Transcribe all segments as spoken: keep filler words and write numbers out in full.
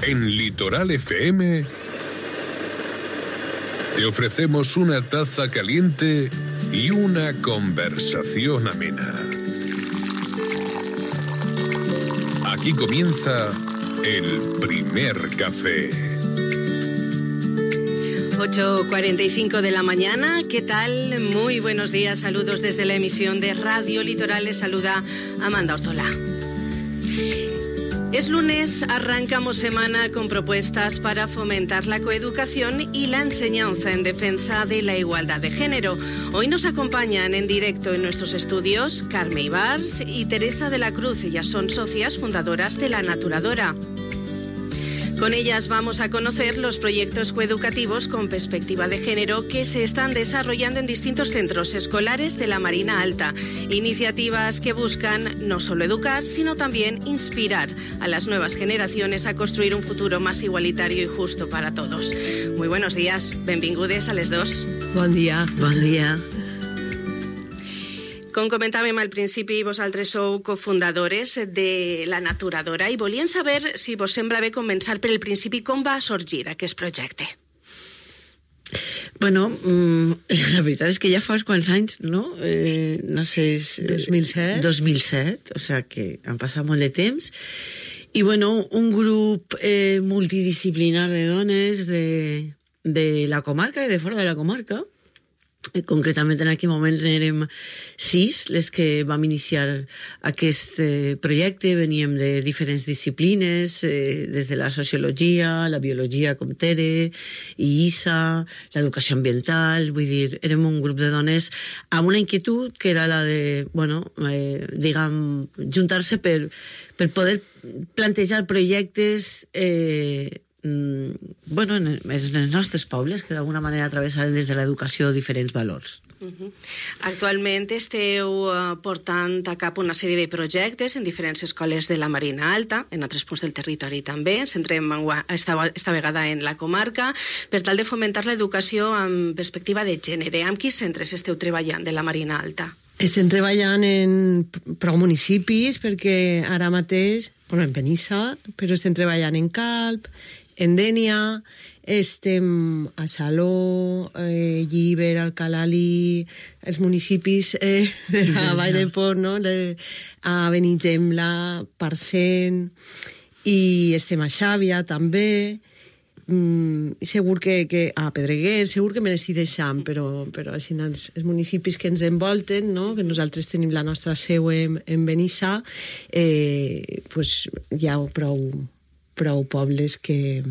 En Litoral F M te ofrecemos una taza caliente y una conversación amena. Aquí comienza el primer café. ocho cuarenta y cinco de la mañana, ¿qué tal? Muy buenos días, saludos desde la emisión de Radio Litoral, les saluda Amanda Ortola. Es lunes, arrancamos semana con propuestas para fomentar la coeducación y la enseñanza en defensa de la igualdad de género. Hoy nos acompañan en directo en nuestros estudios Carme Ibars y Teresa de la Cruz. Ellas son socias fundadoras de La Naturadora. Con ellas vamos a conocer los proyectos coeducativos con perspectiva de género que se están desarrollando en distintos centros escolares de la Marina Alta. Iniciativas que buscan no solo educar, sino también inspirar a las nuevas generaciones a construir un futuro más igualitario y justo para todos. Muy buenos días, benvingudes a les dos. Bon dia. Bon dia. Com comentàvem al principi, vosaltres sou cofundadores de La Naturadora i volíem saber, si vos sembla bé, començar per el principi, com va sorgir aquest projecte. Bueno, la veritat és que ja fa uns quants anys, no? Eh, no sé... És, dos mil set. dos mil set, o sea que han passat molt de temps. I bueno, un grup eh, multidisciplinar de dones de, de la comarca i de fora de la comarca. Concretament en aquell moment érem sis les que vam iniciar aquest eh, projecte. Veníem de diferents disciplines, eh, des de la sociologia, la biologia com Tere i Isa, l'educació ambiental, vull dir, érem un grup de dones amb una inquietud que era la de, bueno, eh, diguem, juntar-se per, per poder plantejar projectes eh, bueno, en els nostres pobles que d'alguna manera travessaren des de l'educació diferents valors. Uh-huh. Actualment esteu uh, portant a cap una sèrie de projectes en diferents escoles de la Marina Alta, en altres punts del territori també. Ens centrem esta, esta vegada en la comarca, per tal de fomentar l'educació amb perspectiva de gènere. Amb quins centres esteu treballant de la Marina Alta? Estem treballant en prou municipis, perquè ara mateix, bueno, en Benissa, però estem treballant en Calp, en Dénia, estem a Saló, eh, Llíber, Alcalalí, els municipis eh, de la Vall de Port, no? De, a Benigembla, Parcent, i estem a Xàbia també, mm, segur que, que a Pedreguer, segur que me n'estic deixant, però, però així els, els municipis que ens envolten, no? Que nosaltres tenim la nostra seu en, en Benissa, eh, pues, hi ha prou... prou pobles que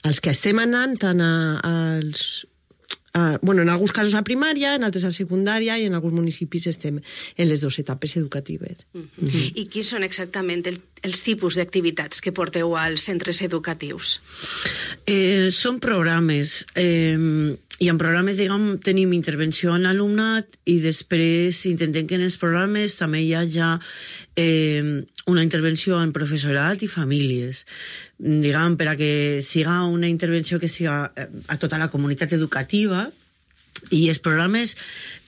els que estem anant tant a, als a, bueno, en alguns casos a primària, en altres a secundària i en alguns municipis estem en les dues etapes educatives. Uh-huh. Uh-huh. I quins són exactament el, els tipus d'activitats que porteu als centres educatius? Eh, són programes eh, i en programes, diguem, tenim intervenció en l'alumnat i després intentem que en els programes també hi hagi eh, una intervenció en professorat i famílies, diguem, per a que siga una intervenció que siga a tota la comunitat educativa. I els programes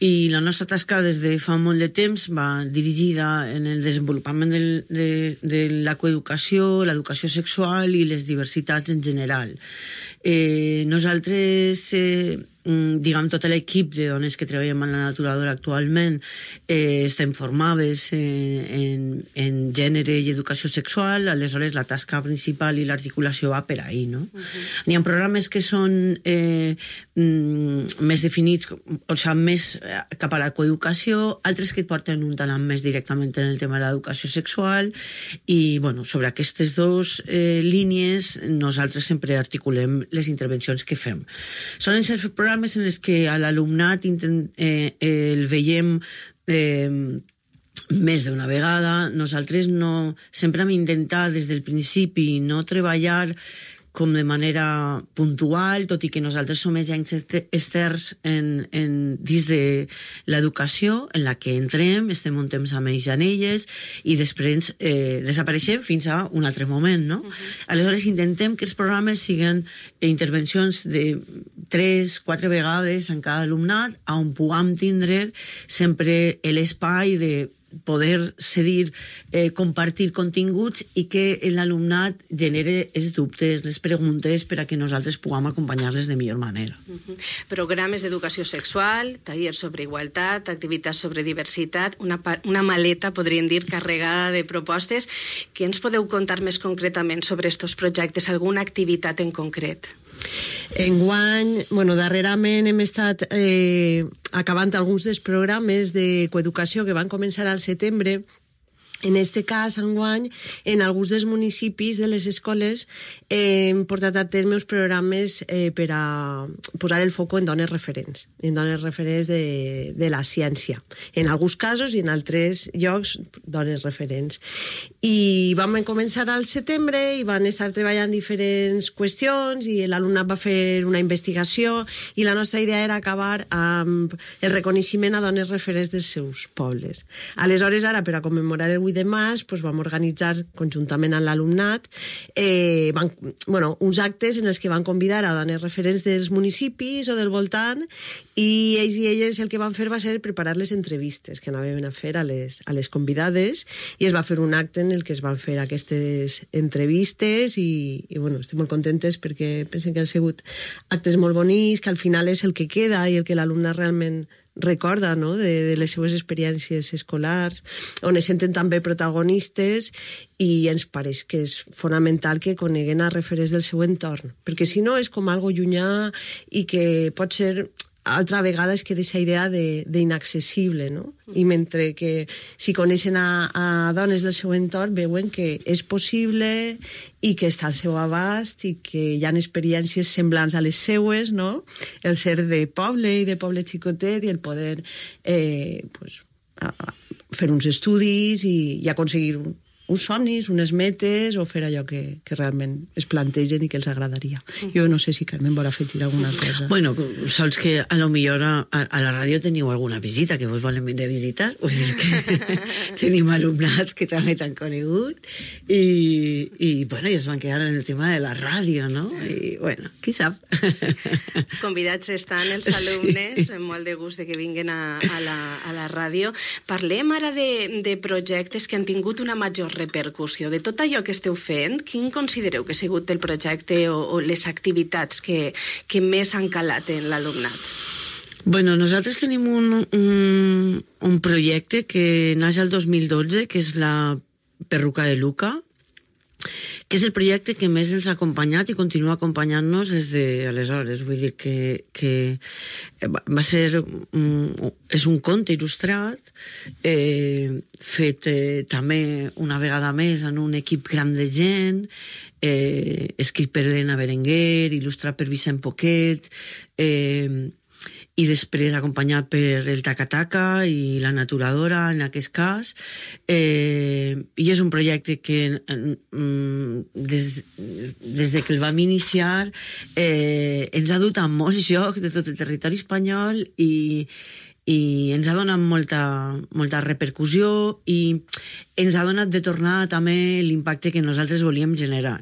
i la nostra tasca des de fa molt de temps va dirigida en el desenvolupament del, de, de la coeducació, l'educació sexual i les diversitats en general. Eh, nosaltres, eh, diguem, tot l'equip de dones que treballem a La Naturadora actualment eh, estem formades eh, en, en gènere i educació sexual, aleshores la tasca principal i l'articulació va per ahí, no? Uh-huh. N'hi ha programes que són eh, mm, més definits, o sigui, més cap a la coeducació, altres que et porten un talant més directament en el tema de l'educació sexual i, bueno, sobre aquestes dues eh, línies nosaltres sempre articulem les intervencions que fem. Solen ser programes en els que a l'alumnat intent, eh, eh, el veiem eh, més d'una vegada. Nosaltres no, sempre hem intentat des del principi no treballar com de manera puntual, tot i que nosaltres som agents externs en, en, dins de l'educació en la que entrem, estem un temps amb ells i en elles, i després eh, desapareixem fins a un altre moment, no? Uh-huh. Aleshores intentem que els programes siguin intervencions de tres, quatre vegades en cada alumnat, on puguem tindre sempre l'espai de poder cedir, eh, compartir continguts i que l'alumnat genere els dubtes, les preguntes per a que nosaltres puguem acompanyar-les de millor manera. Uh-huh. Programes d'educació sexual, tallers sobre igualtat, activitats sobre diversitat, una, una maleta, podríem dir, carregada de propostes. Què ens podeu contar més concretament sobre aquests projectes? Alguna activitat en concret? Enguany, bueno, darrerament hem estat eh, acabant alguns dels programes de coeducació que van començar al setembre. En este cas, enguany, en alguns dels municipis de les escoles eh, hem portat a terme uns programes eh, per a posar el foc en dones referents, en dones referents de, de la ciència. En alguns casos i en altres llocs, dones referents. I vam començar al setembre i van estar treballant diferents qüestions i l'alumnat va fer una investigació i la nostra idea era acabar amb el reconeixement a dones referents dels seus pobles. Aleshores, ara, per a commemorar el vuit de març, doncs vam organitzar conjuntament amb l'alumnat eh, van, bueno, uns actes en els que van convidar a dones referents dels municipis o del voltant i ells i elles el que van fer va ser preparar les entrevistes que anaven a fer a les, a les convidades i es va fer un acte en el que es van fer aquestes entrevistes i, i bueno, estem molt contentes perquè pensem que han sigut actes molt bonics, que al final és el que queda i el que l'alumnat realment recorda, no?, de, de les seues experiències escolars, on es senten també protagonistes i ens pareix que és fonamental que coneguen a referents del seu entorn, perquè si no és com algo llunyà i que pot ser altra vegada és que d'aquesta idea d'inaccessible, no? I mentre que si coneixen a, a dones del seu entorn veuen que és possible i que està al seu abast i que hi ha experiències semblants a les seues, no? El ser de poble i de poble xicotet i el poder eh, pues, a, a fer uns estudis i, i aconseguir un, uns somnis, unes metes, o fer allò que, que realment es plantegen i que els agradaria. Jo no sé si Carmen vol afegir alguna cosa. Bueno, sols que a lo millor a, a la ràdio teniu alguna visita que vos volen venir a visitar, vull dir que tenim alumnat que també t'han conegut i, i, bueno, i es van quedar en el tema de la ràdio, no? I, bueno, qui sap? Sí. Convidats estan els alumnes, sí. Molt de gust de que vinguin a, a, la, a la ràdio. Parlem ara de, de projectes que han tingut una major repercussió. De tot allò que esteu fent, quin considereu que ha sigut el projecte o, o les activitats que, que més han calat en l'alumnat? Bueno, nosaltres tenim un, un, un projecte que naix el dos mil dotze, que és la Perruca de Luca, que és el projecte que més ens ha acompanyat i continua acompanyant-nos des d'aleshores. Vull dir que, que va ser un, és un conte il·lustrat eh, fet eh, també una vegada més en un equip gran de gent, eh, escrit per Elena Berenguer, il·lustrat per Vicent Poquet, eh, i després acompanyat per el Taca-Taca i la Naturadora, en aquest cas. Eh, I és un projecte que des, des de que el vam iniciar eh, ens ha dut a molts llocs de tot el territori espanyol i, i ens ha donat molta, molta repercussió i ens ha donat de tornar també l'impacte que nosaltres volíem generar.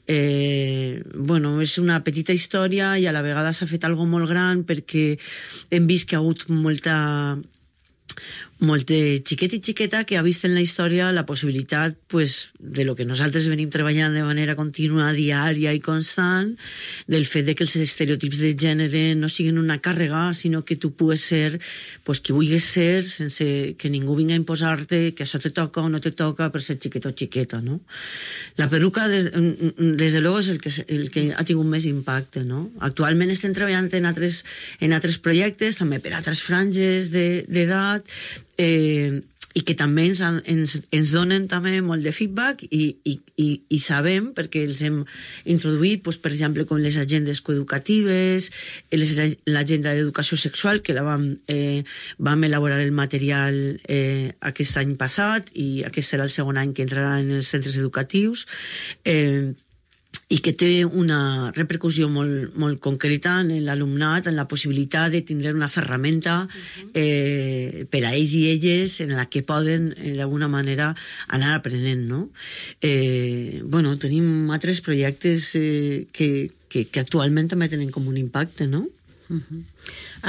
Eh, bueno, és una petita història i a la vegada s'ha fet algo molt gran perquè hem vist que ha hagut molta molt de xiquet i xiqueta que ha vist en la història la possibilitat pues, de lo que nosaltres venim treballant de manera contínua, diària i constant, del fet de que els estereotips de gènere no siguin una càrrega, sinó que tu pugues ser pues, qui vulguis ser sense que ningú vinga a imposar-te que això te toca o no te toca per ser xiquet o xiqueta, no? La peruca, des, des de luego, és el que, el que ha tingut més impacte, no? Actualment estem treballant en altres, en altres projectes, també per altres franges d'edat, Eh, i que també ens, ens, ens donen també molt de feedback i, i, i, i sabem, perquè els hem introduït, doncs, per exemple, com les agendes coeducatives, l'agenda d'educació sexual, que la vam, eh, vam elaborar el material eh, aquest any passat, i aquest serà el segon any que entrarà en els centres educatius, eh, i que té una repercussió molt, molt concreta en l'alumnat, en la possibilitat de tindre una ferramenta eh, per a ells i elles en la que poden, eh, d'alguna manera, anar aprenent, no? Eh, bueno, tenim altres projectes eh, que, que, que actualment també tenen com un impacte, no? Uh-huh.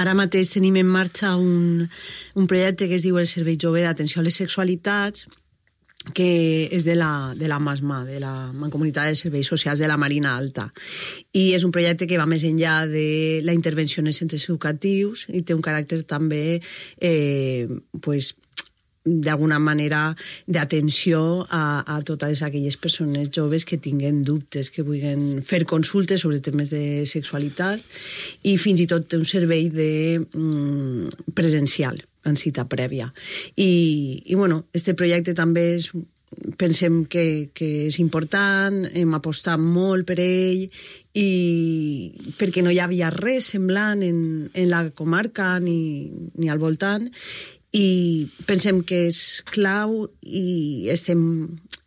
Ara mateix tenim en marxa un, un projecte que es diu el Servei Jove d'Atenció a les Sexualitats, que és de la, de la MASMA, de la Mancomunitat de Serveis Socials de la Marina Alta. I és un projecte que va més enllà de la intervenció en els centres educatius i té un caràcter també eh, pues, d'alguna manera d'atenció a, a totes aquelles persones joves que tinguen dubtes, que vulguin fer consultes sobre temes de sexualitat, i fins i tot té un servei de mm, presencial en cita prèvia. I, i bueno, este projecte també és, pensem que, que és important, hem apostat molt per ell, i perquè no hi havia res semblant en, en la comarca ni, ni al voltant, i pensem que és clau i estem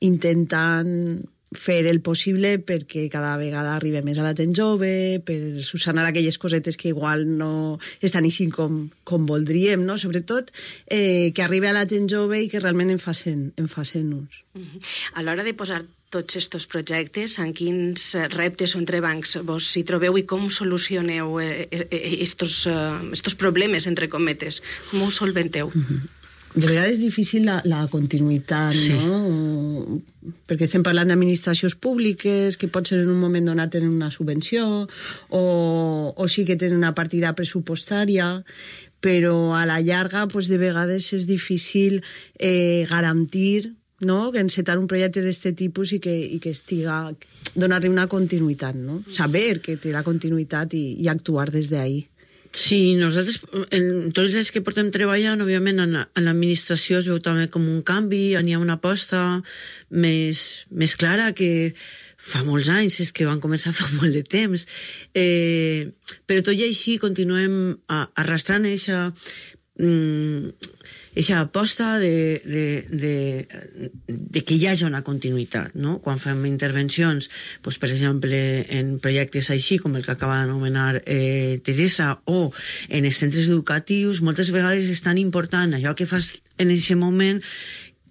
intentant fer el possible perquè cada vegada arribi més a la gent jove, per solucionar aquelles cosetes que igual no estan així com, com voldríem, no? Sobretot eh, que arribi a la gent jove i que realment en facin, en facin ús. A l'hora de posar tots aquests projectes, en quins reptes o entrebancs vos hi trobeu i com solucioneu aquests problemes, entre cometes? Com ho solventeu? Uh-huh. De vegades és difícil la, la continuïtat, sí. No? Perquè estem parlant d'administracions públiques que pot ser en un moment donat tenen una subvenció o, o sí que tenen una partida pressupostària, però a la llarga pues, de vegades és difícil eh, garantir, no? Que encetar un projecte d'aquest tipus i que, i que estiga, donar-li una continuïtat, no? Saber que té la continuïtat i, i actuar des d'ahí. Sí, nosaltres, en tots els que portem treballant, òbviament, en, en l'administració es veu també com un canvi, hi ha una aposta més, més clara que fa molts anys, és que van començar fa molt de temps. Eh, però tot i així continuem arrastrant eixa, mm, eixa aposta de, de, de, de que hi hagi una continuïtat, no? Quan fem intervencions, doncs, per exemple, en projectes així, com el que acaba d'anomenar eh, Teresa, o en els centres educatius, moltes vegades és tan important allò que fas en aquest moment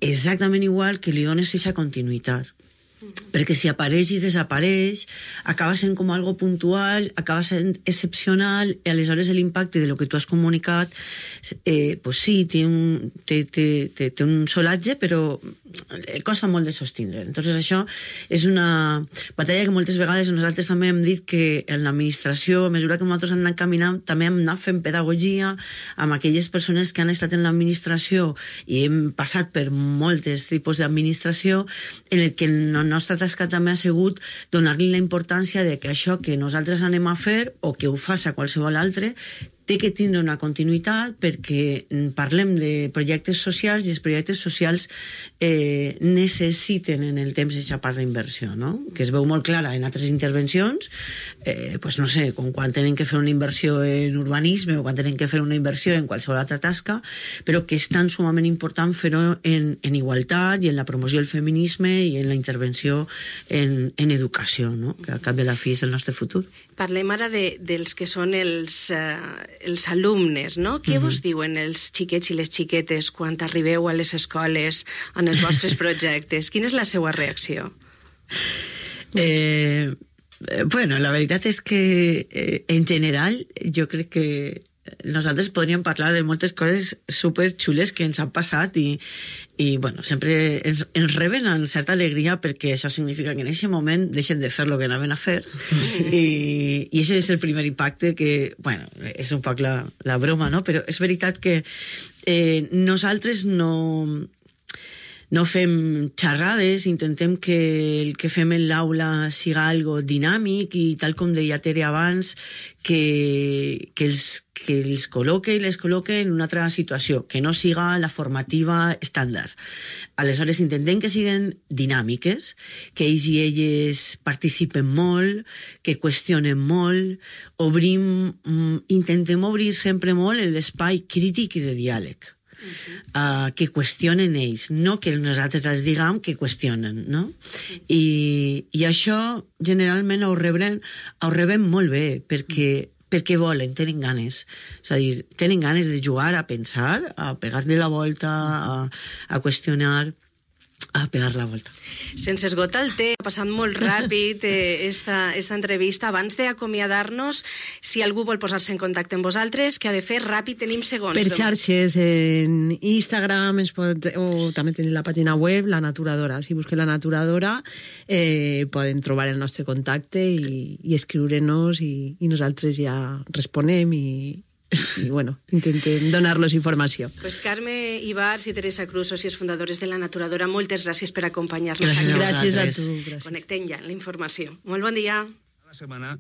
exactament igual que li dones eixa continuïtat. Perquè si apareix i desapareix acaba sent com algo puntual, acaba sent excepcional, i aleshores l'impacte de lo que tu has comunicat eh, pues sí, té un, té, té, té, té un solatge, però costa molt de sostindre. Entonces això és una batalla que moltes vegades nosaltres també hem dit que en l'administració, a mesura que nosaltres hem anat caminant, també hem anat fent pedagogia amb aquelles persones que han estat en l'administració i hem passat per moltes tipus d'administració, en el que la nostra tasca també ha sigut donar-li la importància de que això que nosaltres anem a fer o que ho faci qualsevol altre té que tindre una continuïtat, perquè parlem de projectes socials i els projectes socials eh, necessiten en el temps aquesta part d'inversió, no? Que es veu molt clara en altres intervencions, eh, pues no sé, com quan tenen que fer una inversió en urbanisme o quan tenen que fer una inversió en qualsevol altra tasca, però que és tan sumament important fer-ho en, en igualtat i en la promoció del feminisme i en la intervenció en, en educació, no? Que al cap de la fi és el nostre futur. Parlem ara de, dels que són els... Eh... els alumnes, no? Què uh-huh. vos diuen els xiquets i les xiquetes quan arribeu a les escoles en els vostres projectes? Quina és la seva reacció? Eh, bueno, la veritat és que eh, en general jo crec que nosaltres podríem parlar de moltes coses superxules que ens han passat i, i bueno, sempre ens, ens reben amb certa alegria, perquè això significa que en aquest moment deixen de fer el que anaven a fer, sí. i, i això és el primer impacte que, bueno, és un poc la, la broma, no? Però és veritat que eh, nosaltres no... no fem xerrades, intentem que el que fem en l'aula siga algo dinàmic i, tal com deia Tere abans, que, que, els, que els col·loque i les col·loque en una altra situació, que no siga la formativa estàndard. Aleshores intentem que siguen dinàmiques, que ells i elles participen molt, que qüestionen molt, obrim, intentem obrir sempre molt l'espai crític i de diàleg. Uh-huh. Uh, que qüestionen ells, no que nosaltres els diguem que qüestionen, no? I, i això generalment ho rebem, ho rebem molt bé, perquè, perquè volen, tenen ganes, és a dir, tenen ganes de jugar, a pensar, a pegar-li la volta, a, a qüestionar, a pegar la volta. Sense esgotar el temps, ha passat molt ràpid eh, esta, esta entrevista. Abans d'acomiadar-nos, si algú vol posar-se en contacte amb vosaltres, què ha de fer? Ràpid, tenim segons. Per xarxes, en Instagram, es pot, o també tenim la pàgina web, La Naturadora. Si busquen La Naturadora, eh, poden trobar el nostre contacte i, i escriure-nos i, i nosaltres ja responem i, i bueno, intentem donar-los informació. Pues Carme Ibars i Teresa Cruz, socis fundadores de La Naturadora, moltes gràcies per acompanyar-nos. Gràcies, gràcies a gràcies. tu. Gràcies. Connectem ja la informació. Molt bon dia. La setmana